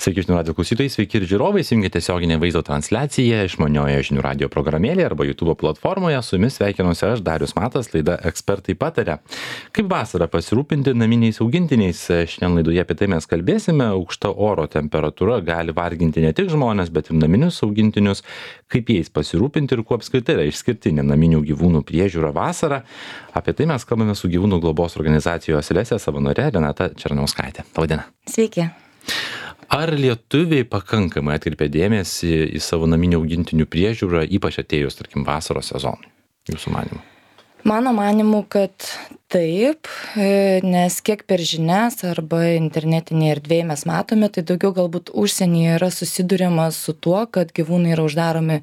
Sveiki žinių radio klausytojai, sveiki ir žiūrovai, įsijungite tiesioginę vaizdo transliaciją išmaniojoje žinių radio programėlėje arba YouTube platformoje. Su jumis sveikinuosi aš, Darius Matas, laida Ekspertai pataria. Kaip vasarą pasirūpinti naminiais augintiniais? Šiandien laidoje apie tai mes kalbėsime. Aukšta oro temperatūra gali varginti ne tik žmones, bet ir naminius augintinius. Kaip jais pasirūpinti ir kuo apskritai yra išskirtinė naminių gyvūnų priežiūra vasarą. Apie tai mes kalbame su gyvūnų globos organizacijos Lesė savanore Renata Černiauskaitė. Labą dieną. Sveiki. Ar lietuviai pakankamai atkreipia dėmesį į savo naminių augintinių priežiūrą, ypač atėjus, tarkim, vasaros sezonui, jūsų manymu? Mano manimu, kad taip, nes kiek per žinias arba internetinėje erdvėje mes matome, tai daugiau galbūt užsienyje yra susiduriama su tuo, kad gyvūnai yra uždaromi,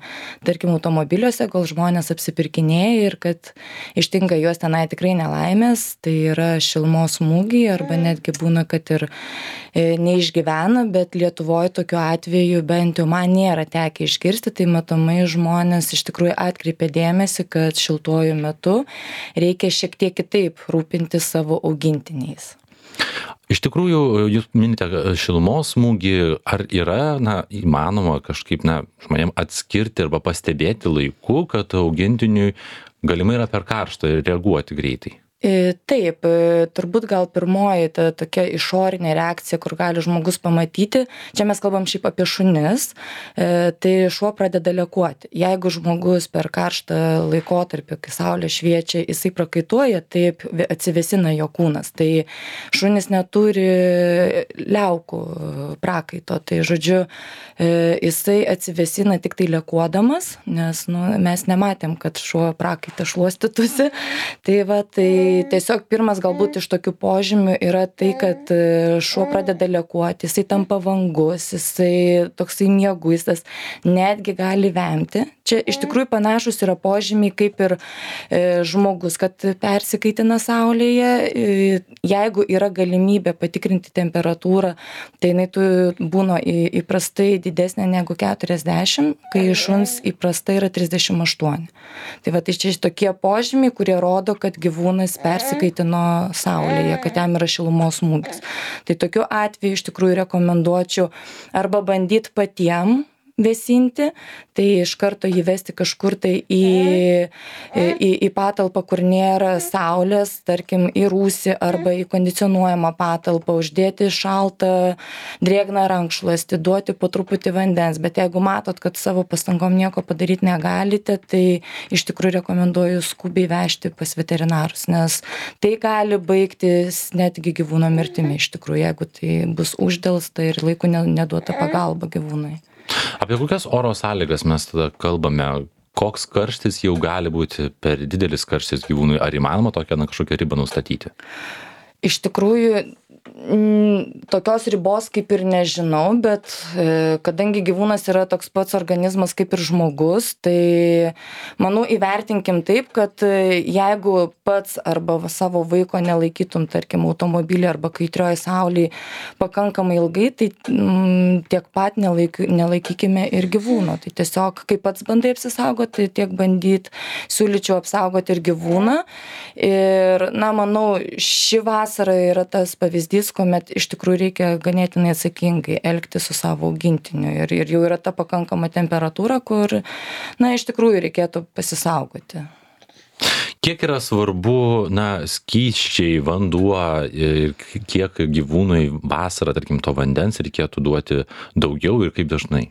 tarkim, automobiliuose, kol žmonės apsipirkinėja ir kad ištinka juos tenai tikrai nelaimės, tai yra šilumos smūgiai arba netgi būna, kad ir neišgyvena, bet Lietuvoje tokiu atveju bent jau man nėra tekę išgirsti, tai matomai žmonės iš tikrųjų atkreipia dėmesį, kad šiltuoju metu reikia šiek tiek kitaip rūpinti savo augintiniais. Iš tikrųjų, jūs minite šilumos smūgį, ar yra įmanoma kažkaip žmonėm atskirti arba pastebėti laiku, kad augintiniui galimai yra per karšta ir reaguoti greitai? Taip, turbūt gal pirmoji ta tokia išorinė reakcija, kur gali žmogus pamatyti, čia mes kalbam šiaip apie šunis, tai šuo pradeda lekuoti. Jeigu žmogus per karštą laikotarpį, kai saulė šviečia, jisai prakaituoja, taip atsivėsina jo kūnas. Tai šunis neturi liaukų prakaito, tai žodžiu, jisai atsivėsina tik tai lekuodamas, nes mes nematėm, kad šuo prakaitą šluostytųsi. Tai tiesiog pirmas galbūt iš tokių požymių yra tai, kad šuo pradeda lekuoti, jisai tampa vangus, jisai toksai mieguistas, netgi gali vemti. Čia iš tikrųjų panašus yra požymiai kaip ir žmogus, kad persikaitina saulėje. Jeigu yra galimybė patikrinti temperatūrą, tai jinai būna įprastai didesnė negu 40, kai šuns įprastai yra 38. Tai čia tokie požymiai, kurie rodo, kad gyvūnas persikaitino saulėje, kad jam yra šilumos smūgis. Tai tokiu atveju iš tikrųjų rekomenduočiau arba bandyti patiem vėsinti, tai iš karto jį vesti kažkur tai į patalpą, kur nėra saulės, tarkim į rūsį arba į kondicionuojamą patalpą, uždėti šaltą drėgną rankšluostį, duoti po truputį vandens, bet jeigu matot, kad savo pastangom nieko padaryti negalite, tai iš tikrųjų rekomenduoju skubiai vežti pas veterinarus, nes tai gali baigtis netgi gyvūno mirtimi iš tikrųjų, jeigu tai bus uždelsta ir laiku neduota pagalba gyvūnui. Apie kokias oro sąlygas mes tada kalbame? Koks karštis jau gali būti per didelis karštis gyvūnui? Ar įmanoma tokią kažkokią ribą nustatyti? Iš tikrųjų, tokios ribos kaip ir nežinau, bet kadangi gyvūnas yra toks pats organizmas kaip ir žmogus, tai manau įvertinkim taip, kad jeigu pats arba savo vaiko nelaikytum, tarkim, automobilį arba kaitrioj saulėj pakankamai ilgai, tai tiek pat nelaikykime ir gyvūno. Tai tiesiog, kai pats bandai apsisaugoti, tiek bandyt siūlyčiau apsaugoti ir gyvūną. Ir, manau, ši vasara yra tas pavyzdys, kuomet iš tikrųjų reikia ganėtinai atsakingai elgtis su savo augintiniu. Ir jau yra ta pakankama temperatūra, kur, iš tikrųjų reikėtų pasisaugoti. Kiek yra svarbu, skysčiai, vanduo ir kiek gyvūnui vasarą, tarkim, to vandens reikėtų duoti daugiau ir kaip dažnai?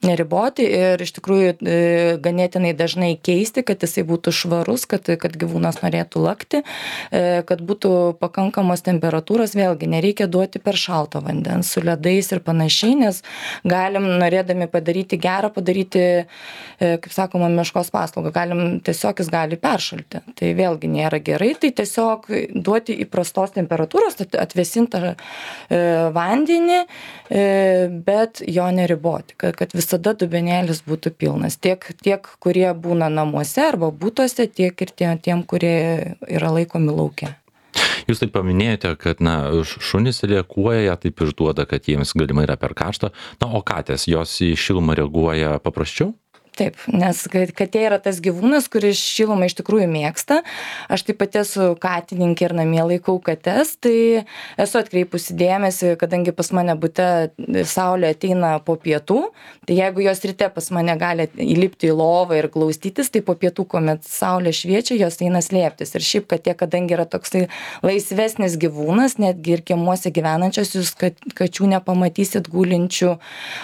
Neriboti ir iš tikrųjų ganėtinai dažnai keisti, kad jisai būtų švarus, kad gyvūnas norėtų lakti, kad būtų pakankamos temperatūros, vėlgi nereikia duoti per šalto vandens su ledais ir panašiai, nes galim, norėdami padaryti gerą, kaip sakoma, meškos paslaugą, tiesiog jis gali peršalti. Tai vėlgi nėra gerai, tai tiesiog duoti įprastos temperatūros, atvėsintą vandenį, bet jo neriboti, kad visada dubenėlis būtų pilnas. Tiek kurie būna namuose arba butuose, tiek ir tiem, kurie yra laikomi lauke. Jūs taip paminėjote, kad šunys reaguoja, taip išduoda, kad jiems galimai yra per karšta. O katės, jos į šilumą reaguoja paprasčiau? Taip, nes katė yra tas gyvūnas, kuris šilumą iš tikrųjų mėgsta. Aš taip pat esu katininkė ir namie laikau kates, tai esu atkreipusi dėmesį, kadangi pas mane bute saulė ateina po pietų, tai jeigu jos ryte pas mane gali įlipti į lovą ir glaustytis, tai po pietų, kuomet saulė šviečia, jos eina slėptis. Ir šiaip katė, kadangi yra toksai laisvesnis gyvūnas, netgi ir kiemuose gyvenančios, jūs kačių nepamatysit gulinčių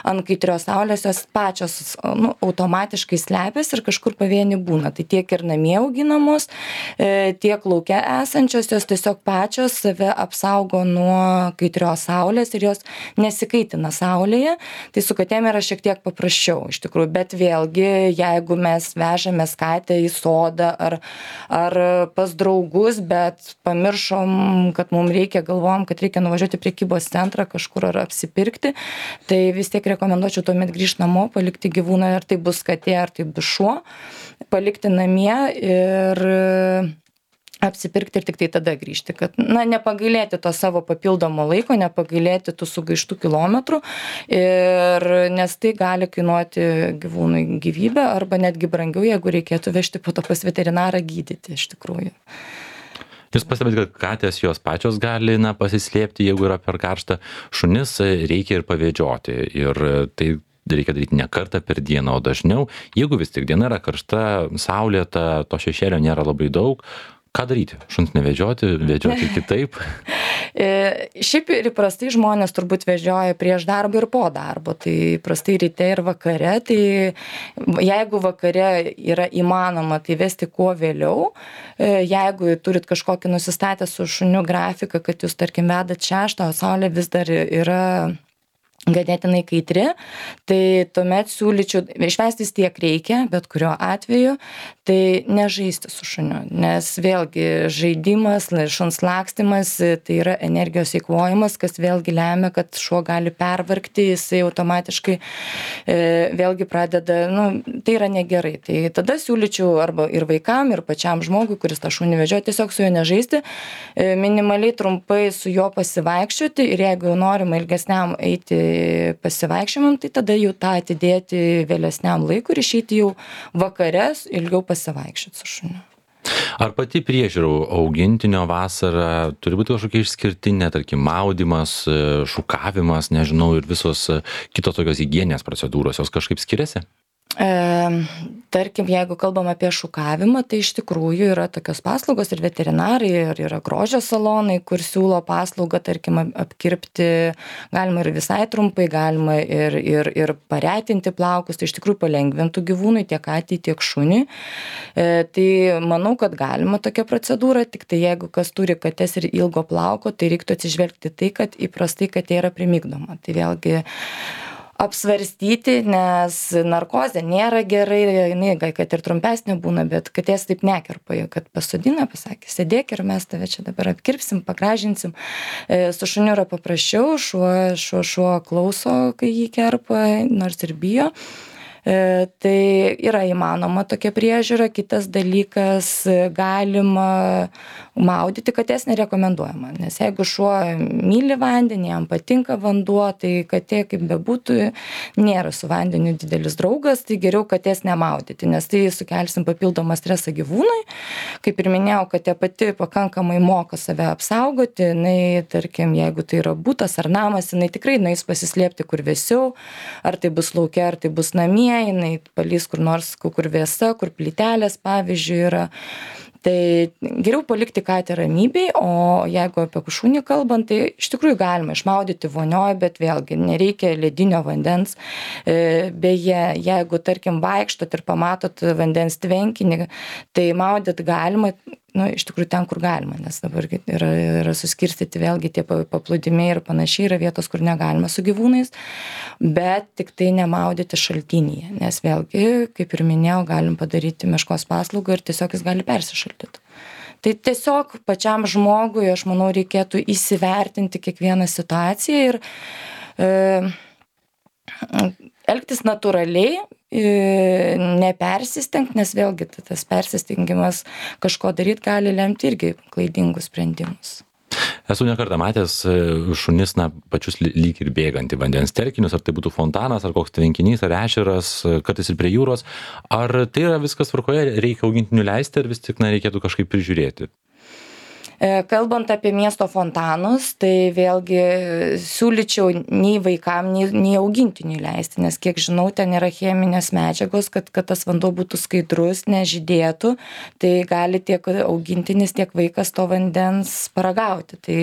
ant kaitrios saulės, jos pačios automatiškai slepiasi ir kažkur pavieni būna. Tai tiek ir namie auginamos, tiek lauke esančios, jos tiesiog pačios save apsaugo nuo kaitrios saulės ir jos nesikaitina saulėje. Tai su katėm yra šiek tiek paprasčiau iš tikrųjų, bet vėlgi, jeigu mes vežamės katę į sodą ar pas draugus, bet pamiršom, kad mums reikia, galvojom, kad reikia nuvažiuoti į prekybos centrą kažkur ar apsipirkti, tai vis tiek rekomenduočiau tuomet grįžti namo, palikti gyvūną, ar tai bus katė, ar tai bus šuo, palikti namie ir apsipirkti ir tik tai tada grįžti, kad nepagailėti to savo papildomo laiko, nepagailėti tų sugaištų kilometrų, nes tai gali kainuoti gyvūnui gyvybę arba netgi brangiau, jeigu reikėtų vežti po to pas veterinarą gydyti iš tikrųjų. Jūs pastebite, kad katės jos pačios gali pasislėpti, jeigu yra per karšta, šunis reikia ir pavedžioti ir tai reikia daryti ne kartą per dieną, o dažniau. Jeigu vis tik diena yra karšta, saulėta, to šešėlio nėra labai daug, ką daryti? Šuns nevedžioti, vedžioti kitaip? Šiaip ir įprastai žmonės turbūt vežioja prieš darbą ir po darbo, tai įprastai ryte ir vakare, tai jeigu vakare yra įmanoma, tai vesti kuo vėliau, jeigu turit kažkokį nusistatę su šuniu grafiką, kad jūs tarkim vedat 6, o saulė vis dar yra ganėtinai kaitri, tai tuomet siūlyčiau, išvestis tiek reikia, bet kuriuo atveju, tai nežaisti su šuniu, nes vėlgi žaidimas, šuns lakstymas, tai yra energijos eikvojimas, kas vėlgi lemia, kad šuo gali pervargti, jisai automatiškai vėlgi pradeda, tai yra negerai. Tai tada siūlyčiau arba ir vaikam, ir pačiam žmogui, kuris tą šunį vežioja, tiesiog su juo nežaisti, minimaliai trumpai su juo pasivaikščioti ir jeigu jau norima ilgesniam eiti pasivaikščiojimam, tai tada jau tą atidėti vėlesniam laikui ir išeiti jau vakares ilgiau pasivaikščioti su šuniu. Ar pati priežiūra augintinio vasarą turi būti kažkokia išskirtinė, tarkim, maudymas, šukavimas, nežinau, ir visos kitos tokios higieninės procedūros, jos kažkaip skiriasi? Tarkim, jeigu kalbam apie šukavimą, tai iš tikrųjų yra tokios paslaugos ir veterinarai, ir yra grožio salonai, kur siūlo paslaugą, tarkim, apkirpti, galima ir visai trumpai, galima ir paretinti plaukus, tai iš tikrųjų palengvintų gyvūnui tiek katei, tiek šuniui. Tai manau, kad galima tokia procedūra, tik tai jeigu kas turi kates ir ilgo plauko, tai reiktų atsižvelgti tai, kad įprastai katė yra primigdoma. Tai vėlgi apsvarstyti, nes narkozė nėra gerai, jinai, kad ir trumpesnė būna, bet katės taip nekerpa, kad pasodina, pasakė, sėdėk ir mes tave čia dabar apkirpsim, pagražinsim. Su šuniu yra paprasčiau, šuo klauso, kai jį kerpa, nors ir bijo. Tai yra įmanoma tokia priežiūra. Kitas dalykas, galima maudyti, katės nerekomenduojama, nes jeigu šuo myli vandenį, jam patinka vanduo, tai katė, kaip bebūtų, nėra su vandeniu didelis draugas, tai geriau katės nemaudyti, nes tai sukelsim papildomą stresą gyvūnui. Kaip ir minėjau, katė pati pakankamai moka save apsaugoti, jinai, tarkim, jeigu tai yra butas ar namas, jinai tikrai nueis pasislėpti kur vėsiau, ar tai bus lauke, ar tai bus namie, jinai palys kur nors, kur vėsa, kur plytelės, pavyzdžiui, yra. Tai geriau palikti katę ramybėj, o jeigu apie šunį kalbant, tai iš tikrųjų galima išmaudyti vonioj, bet vėlgi nereikia ledinio vandens. Beje, jeigu, tarkim, vaikštot ir pamatot vandens tvenkinį, tai maudyt galima, iš tikrųjų ten, kur galima, nes dabar yra suskirstyti vėlgi tie paplūdimiai ir panašiai, yra vietos, kur negalima su gyvūnais, bet tik tai nemaudyti šaltinyje, nes vėlgi, kaip ir minėjau, galim padaryti meškos paslaugą ir tiesiog jis gali persišaldyti. Tai tiesiog pačiam žmogui, aš manau, reikėtų įsivertinti kiekvieną situaciją ir elgtis natūraliai, nepersistengti, nes vėlgi tas persistengimas kažko daryti gali lemti irgi klaidingus sprendimus. Esu ne kartą matęs šunis, pačius lyg ir bėgantį vandens telkinius, ar tai būtų fontanas, ar koks tvenkinys, ar ežeras, kartais ir prie jūros. Ar tai yra viskas tvarkoje, reikia augintinių leisti, ar vis tik reikėtų kažkaip prižiūrėti? Kalbant apie miesto fontanus, tai vėlgi siūlyčiau nei vaikam, nei augintiniui leisti, nes kiek žinau, ten yra cheminės medžiagos, kad tas vanduo būtų skaidrus, nežydėtų, tai gali tiek augintinis, tiek vaikas to vandens paragauti. Tai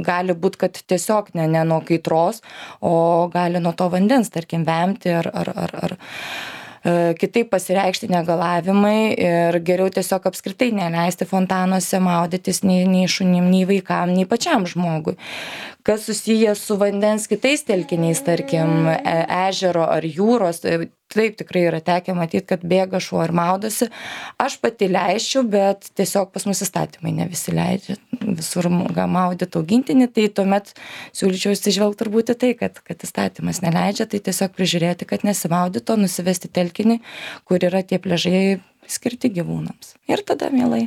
gali būti, kad tiesiog ne nuo kaitros, o gali nuo to vandens, tarkim, vemti ar kitaip pasireikšti negalavimai ir geriau tiesiog apskritai neleisti fontanuose maudytis nei šunim, nei vaikam, nei pačiam žmogui. Kas susijęs su vandens kitais telkiniais, tarkim, ežero ar jūros, taip tikrai yra tekę matyti, kad bėga šuo ir maudosi. Aš pati leisčiau, bet tiesiog pas mus įstatymai ne visi leidžia visur maudyti augintinį, tai tuomet siūlyčiau įsižvelgti turbūt į tai, kad įstatymas neleidžia, tai tiesiog prižiūrėti, kad nesimaudytų, nusivesti telkinį, kur yra tie pliažai skirti gyvūnams. Ir tada mielai.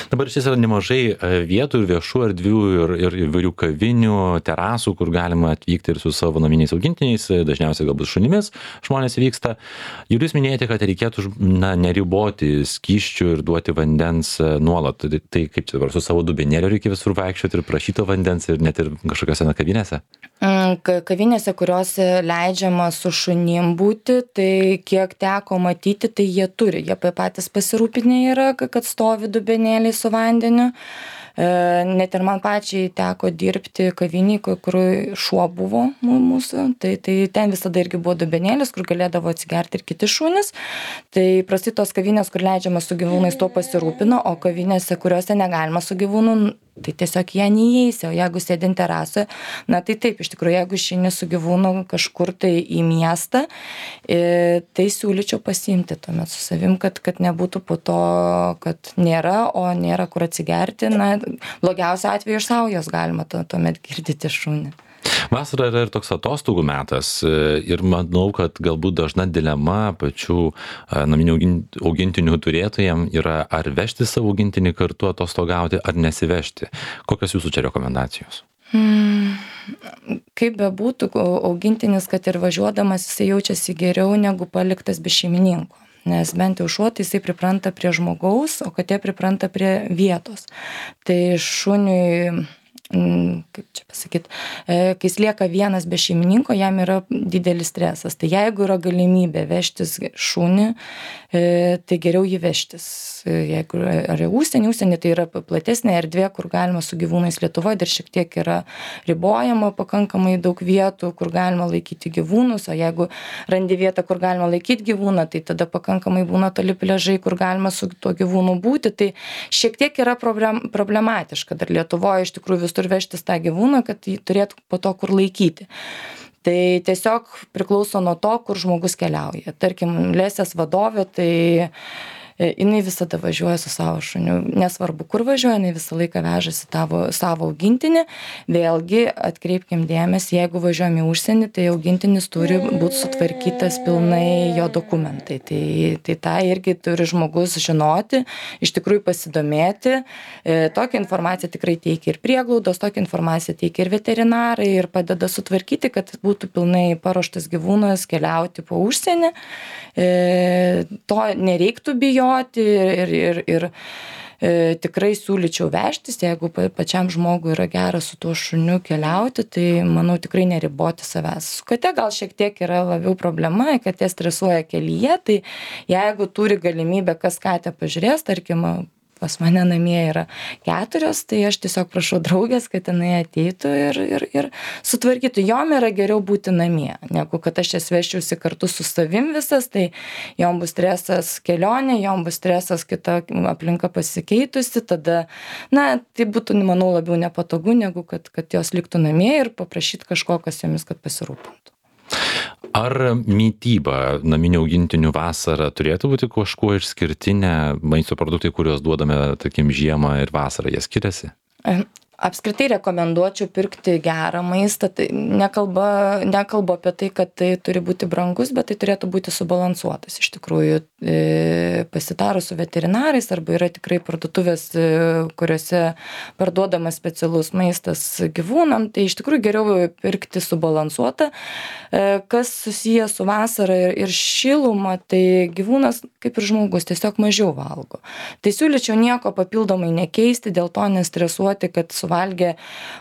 Dabar šis yra nemažai vietų ir viešų erdvių ir įvairių kavinių, terasų, kur galima atvykti ir su savo naminiais augintiniais, dažniausiai galbūt šunimis žmonės vyksta. Ir jūs minėjote, kad reikėtų neriboti skysčių ir duoti vandens nuolat. Tai kaip čia dabar, su savo dubenėliu reikia visur vaikščioti ir prašyti vandens ir net ir kažkokiose kavinėse? Kavinėse, kurios leidžiama su šunim būti, tai kiek teko matyti, tai jie turi. Jie patys pasirūpinę yra, kad stovi dubenėliai su vandeniu. Net ir man pačiai teko dirbti kaviniai, kur šuo buvo mūsų, tai ten visada irgi buvo dubenėlis, kur galėdavo atsigerti ir kiti šunys. Tai prastai tos kavinės, kur leidžiama su gyvūnais, to pasirūpino, o kavinėse, kuriuose negalima su gyvūnu, tai tiesiog jie neįeisi, o jeigu sėdint terasoje, tai taip, iš tikrųjų, jeigu išeini su gyvūnu kažkur tai į miestą, tai siūlyčiau pasiimti tuomet su savim, kad nebūtų po to, kad nėra, o nėra kur atsigerti. Blogiausiu atveju iš saujos galima tuomet girdyti šunį. Vasara yra ir toks atostogų metas ir manau, kad galbūt dažna dilema pačių naminių augintinių turėtojams yra ar vežti savo augintinį kartu atostogauti, ar nesivežti. Kokios jūsų čia rekomendacijos? Kaip bebūtų, augintinis, kad ir važiuodamas, jisai jaučiasi geriau negu paliktas be šeimininko. Nes bent jau šuo, tai jisai pripranta prie žmogaus, o katė pripranta prie vietos. Tai šuniui, kaip čia pasakyti, kai jis lieka vienas be šeimininko, jam yra didelis stresas. Tai jeigu yra galimybė vežtis šunį, tai geriau jį vežtis. Jeigu ar užsienį, tai yra platesnė erdvė, kur galima su gyvūnais. Lietuvoje dar šiek tiek yra ribojama pakankamai daug vietų, kur galima laikyti gyvūnus, o jeigu randi vietą, kur galima laikyti gyvūną, tai tada pakankamai būna toli pliažai, kur galima su tuo gyvūnu būti. Tai šiek tiek yra problematiška dar Lietuvoje iš tikrųjų visur vežtis tą gyvūną, kad jį turėtų po to kur laikyti. Tai tiesiog priklauso nuo to, kur žmogus keliauja. Tarkim, lesės vadovė, tai jinai visada važiuoja su savo šuniu. Nesvarbu, kur važiuoja, jinai visą laiką vežasi savo augintinį. Vėlgi, atkreipkim dėmesį, jeigu važiuojam į užsienį, tai augintinis turi būti sutvarkytas pilnai jo dokumentai. Tai tą irgi turi žmogus žinoti, iš tikrųjų pasidomėti. Tokią informaciją tikrai teikia ir prieglaudos, tokią informaciją teikia ir veterinarai ir padeda sutvarkyti, kad būtų pilnai paruoštas gyvūnas keliauti po užsienį. To nereiktų bijoti ir tikrai siūlyčiau vežtis, jeigu pačiam žmogui yra gera su tuo šuniu keliauti, tai manau tikrai neriboti savęs. Su kate gal šiek tiek yra labiau problema, katė stresuoja kelyje, tai jeigu turi galimybę kas katę pažiūrės, tarkim, pas mane namie yra 4, tai aš tiesiog prašau draugės, kad jinai ateitų ir sutvarkytų. Jom yra geriau būti namie, negu kad aš jas vežčiausi kartu su savim visas, tai jom bus stresas kelionė, jom bus stresas kita aplinka pasikeitusi, tada, tai būtų, manau, labiau nepatogu, negu kad jos liktų namie ir paprašyti kažko, kas jomis, kad pasirūpintų. Ar mityba naminių augintinių vasarą turėtų būti kažkuo išskirtinė, maisto produktai, kuriuos duodame, tarkim, žiemą ir vasarą, jie skiriasi? Apskritai rekomenduočiau pirkti gerą maistą. Tai nekalbu apie tai, kad tai turi būti brangus, bet tai turėtų būti subalansuotas. Iš tikrųjų, pasitarus su veterinarais arba yra tikrai parduotuvės, kuriuose parduodamas specialus maistas gyvūnam, tai iš tikrųjų geriau pirkti subalansuotą. Kas susiję su vasara ir šiluma, tai gyvūnas, kaip ir žmogus, tiesiog mažiau valgo. Tai siūlyčiau nieko papildomai nekeisti, dėl to nestresuoti, kad suvalgė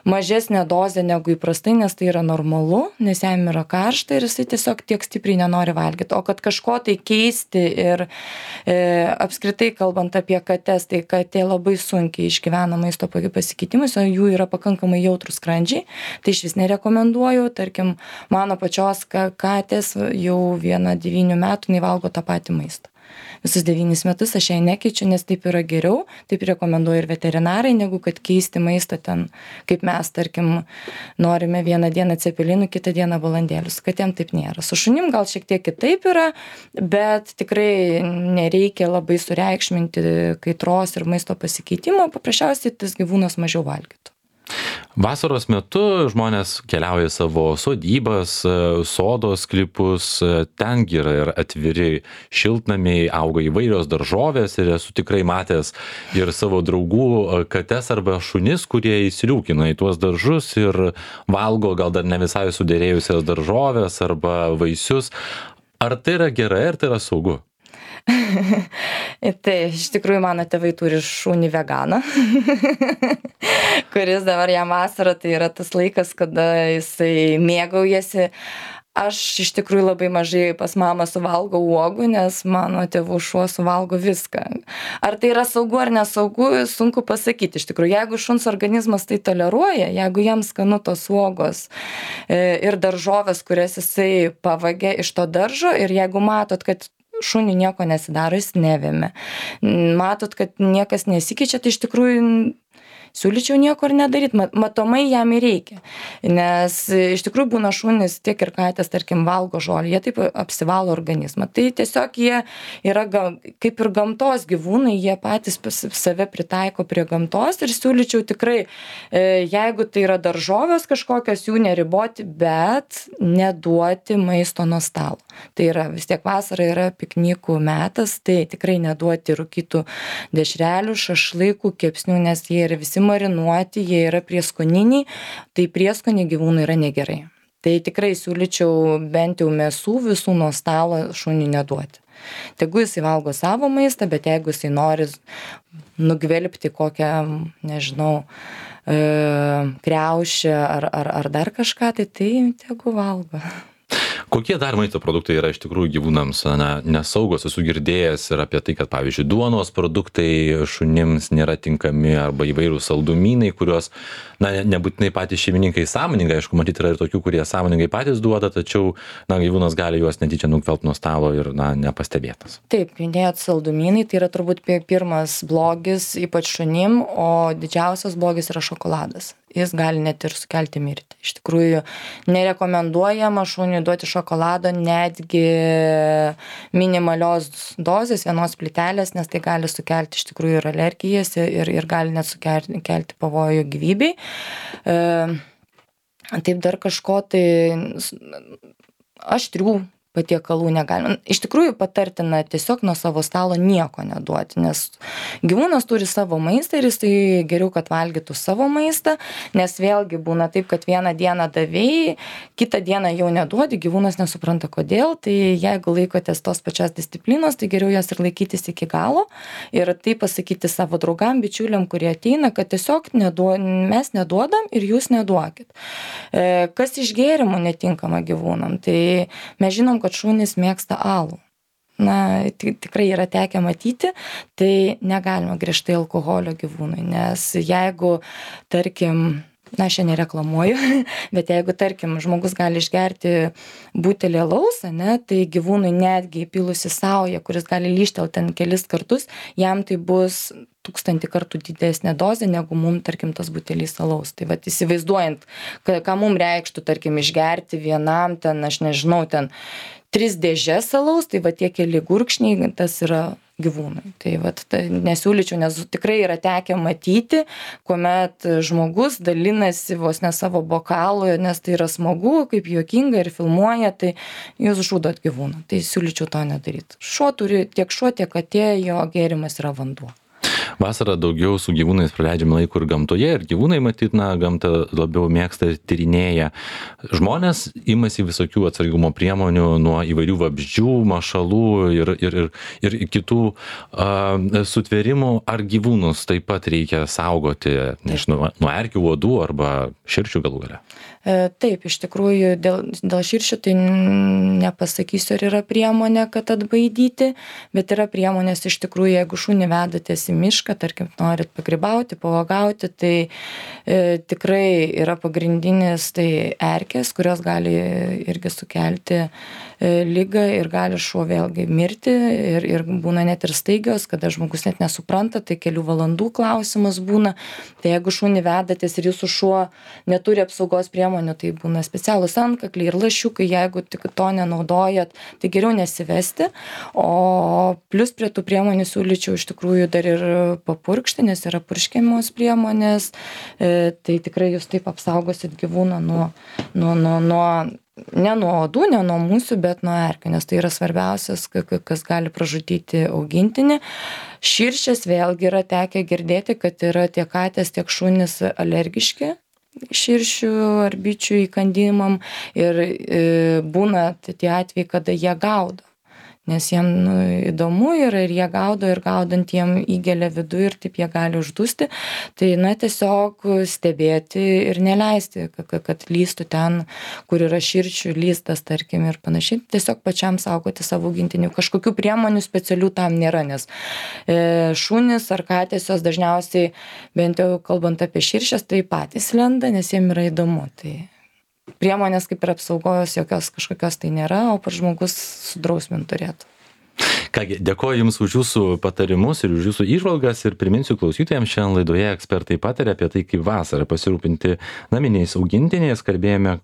mažesnę dozę negu įprastai, nes tai yra normalu, nes jam yra karšta ir jisai tiesiog tiek stipriai nenori valgyti. O kad kažko tai keisti ir apskritai kalbant apie kates, tai katė labai sunkiai išgyvena maisto pasikeitimus, o jų yra pakankamai jautrus skrandžiai, tai iš vis nerekomenduoju. Tarkim, mano pačios katės jau 9 metų nevalgo tą patį maistą. Visus 9 metus aš jai nekeičiu, nes taip yra geriau, taip rekomenduoju ir veterinarai, negu kad keisti maistą ten, kaip mes, tarkim, norime vieną dieną cepelinų, kitą dieną balandėlius, kad jam taip nėra. Su šunim gal šiek tiek kitaip yra, bet tikrai nereikia labai sureikšminti kaitros ir maisto pasikeitimo, paprasčiausiai tas gyvūnas mažiau valgytų. Vasaros metu žmonės keliauja į savo sodybas, sodos sklypus, tengi yra ir atviri šiltnamiai, auga įvairios daržovės ir esu tikrai matęs ir savo draugų kates arba šunis, kurie įsiliūkina į tuos daržus ir valgo gal dar ne visai sudėrėjusias daržovės arba vaisius. Ar tai yra gerai, ar tai yra saugu? Tai iš tikrųjų mano tėvai turi šunį veganą, kuris dabar jam vasarą, tai yra tas laikas, kada jisai mėgaujasi. Aš iš tikrųjų labai mažai pas mamą suvalgau uogų, nes mano tėvų šuo suvalgo viską. Ar tai yra saugu ar nesaugu, sunku pasakyti. Iš tikrųjų, jeigu šuns organizmas tai toleruoja, jeigu jam skanu tos uogos ir daržovės, kurias jisai pavagė iš to daržo, ir jeigu matot, kad šuniui nieko nesidaro, jis nevėmė. Matot, kad niekas nesikeičia, tai iš tikrųjų siūlyčiau nieko ir nedaryti. Matomai jam ir reikia. Nes iš tikrųjų būna šunys, tiek ir katės, tarkim, valgo žolę, jie taip apsivalo organizmą. Tai tiesiog jie yra kaip ir gamtos gyvūnai, jie patys save pritaiko prie gamtos ir siūlyčiau tikrai, jeigu tai yra daržovės kažkokios, jų neriboti, bet neduoti maisto nuo stalo. Tai yra vis tiek vasara yra piknikų metas, tai tikrai neduoti rūkytų dešrelių, šašlykų, kepsnių, nes jie yra visi marinuoti, jie yra prieskoniniai, tai prieskoniai gyvūnui yra negerai. Tai tikrai siūlyčiau bent jau mėsų visų nuo stalo šuniui neduoti. Tegu jisai valgo savo maistą, bet jeigu jisai nori nugvelbti kokią, nežinau, kriaušę ar dar kažką, tai tegu valgo. Kokie dar maisto produktai yra iš tikrųjų gyvūnams nesaugos? Esu girdėjęs ir apie tai, kad pavyzdžiui duonos produktai šunims nėra tinkami arba įvairūs saldumynai, kuriuos nebūtinai patys šeimininkai sąmoningai, aišku, matyti yra ir tokių, kurie sąmoningai patys duoda, tačiau gyvūnas gali juos netyčia nugvelbti nuo stalo ir nepastebėtas. Taip, minėjot saldumynai, tai yra turbūt pirmas blogis, ypač šunim, o didžiausias blogis yra šokoladas. Jis gali net ir sukelti mirtį. Iš tikrųjų, nerekomenduojama šuniui duoti šokolado netgi minimalios dozės, vienos plytelės, nes tai gali sukelti iš tikrųjų ir alergijas ir gali net sukelti pavojų gyvybei. Taip dar kažko tai aštrių patiekalų negalima. Iš tikrųjų patartina tiesiog nuo savo stalo nieko neduoti, nes gyvūnas turi savo maistą ir jisai geriau, kad valgytų savo maistą, nes vėlgi būna taip, kad vieną dieną davėjai, kitą dieną jau neduodi, gyvūnas nesupranta kodėl, tai jeigu laikotės tos pačios disciplinos, tai geriau jas ir laikytis iki galo ir tai pasakyti savo draugam, bičiuliam, kurie ateina, kad tiesiog mes neduodam ir jūs neduokit. Kas iš gėrimų netinkama gyvūnam, tai mes žinom, kad šunys mėgsta alų. Tikrai yra tekę matyti, tai negalima griežtai alkoholio gyvūnui, nes jeigu, tarkim, aš čia nereklamuoju, bet jeigu, tarkim, žmogus gali išgerti butelį alaus, tai gyvūnui netgi įpilusi saują, kuris gali lyžtelti ten kelis kartus, jam tai bus 1000 kartų didesnė dozė negu mum, tarkim, tas butelys alaus. Tai vat įsivaizduojant, ką mum reikštų, tarkim, išgerti vienam ten, aš nežinau, ten 3 dėžes alaus, tai va tie keli gurkšniai, tas yra gyvūnui. Tai vat nesiūlyčiau, nes tikrai yra tekę matyti, kuomet žmogus dalinasi vos ne savo bokalu, nes tai yra smagu, kaip juokinga ir filmuoja, tai jūs žudot gyvūną. Tai siūlyčiau to nedaryti. Tiek šuo, tiek katė, jo gėrimas yra vanduo. Vasarą daugiau su gyvūnais praleidžiame laiko ir gamtoje, ir gyvūnai matyt, gamtą labiau mėgsta ir tyrinėja. Žmonės imasi visokių atsargumo priemonių nuo įvairių vabzdžių, mašalų ir kitų sutvėrimų. Ar gyvūnus taip pat reikia saugoti, nežinau, nuo erkių, uodų arba širšių galų gale? Taip, iš tikrųjų, dėl širšių tai nepasakysiu, ar yra priemonė, kad atbaidyti, bet yra priemonės iš tikrųjų, jeigu šunį vedatės į mišką, tarkim, norit pagrybauti, pavagauti, tai tikrai yra pagrindinis tai erkės, kurios gali irgi sukelti ligą ir gali šuo vėlgi mirti ir būna net ir staigios, kada žmogus net nesupranta, tai kelių valandų klausimas būna. Tai jeigu šunį vedatės ir jūsų šuo neturi apsaugos priemonių, tai būna specialūs antkakliai ir lašiukai, jeigu tik to nenaudojat, tai geriau nesivesti. O plus prie tų priemonių siūlyčiau iš tikrųjų dar ir papurkšti, nes yra purškiamos priemonės, tai tikrai jūs taip apsaugosit gyvūną ne nuo uodų, ne nuo musių, bet nuo erkių, nes tai yra svarbiausias, kas gali pražudyti augintinį. Širšės vėlgi yra tekę girdėti, kad yra tiek katės, tiek šunys alergiški širšių ar bičių įkandimam ir būna tie atvejai, kada jie gaudo. Nes jiem įdomu yra ir jie gaudo ir gaudant jiem įgelia vidų ir taip jie gali uždusti. Tai tiesiog stebėti ir neleisti, kad lįstų ten, kur yra širšių lystas, tarkim, ir panašiai. Tiesiog pačiam saugoti savo augintinių. Kažkokių priemonių specialių tam nėra, nes šunys ar katės jos dažniausiai, bent jau kalbant apie širšės, tai patys lenda, nes jiem yra įdomu. Tai priemonės kaip ir apsaugos jokios kažkokios tai nėra, o pats žmogus sudrausmint turėtų. Kągi, dėkoju Jums už Jūsų patarimus ir už Jūsų įžvalgas ir priminsiu klausytojams, šiandien laidoje ekspertai pataria apie tai, kaip vasarą pasirūpinti naminiais augintiniais. Kalbėjome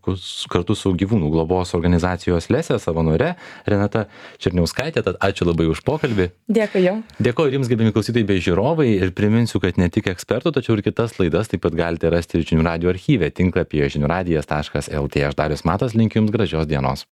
kartu su gyvūnų globos organizacijos Lesė savanore Renata Černiauskaitė, tad ačiū labai už pokalbį. Dėkui Jums. Dėkoju Jums, gerbiami klausytojai bei žiūrovai, ir priminsiu, kad ne tik ekspertų, tačiau ir kitas laidas taip pat galite rasti Žinių radijo archyve tinklapyje žiniųradijas.lt. Aš Darius Matas, linkiu Jums gražios dienos.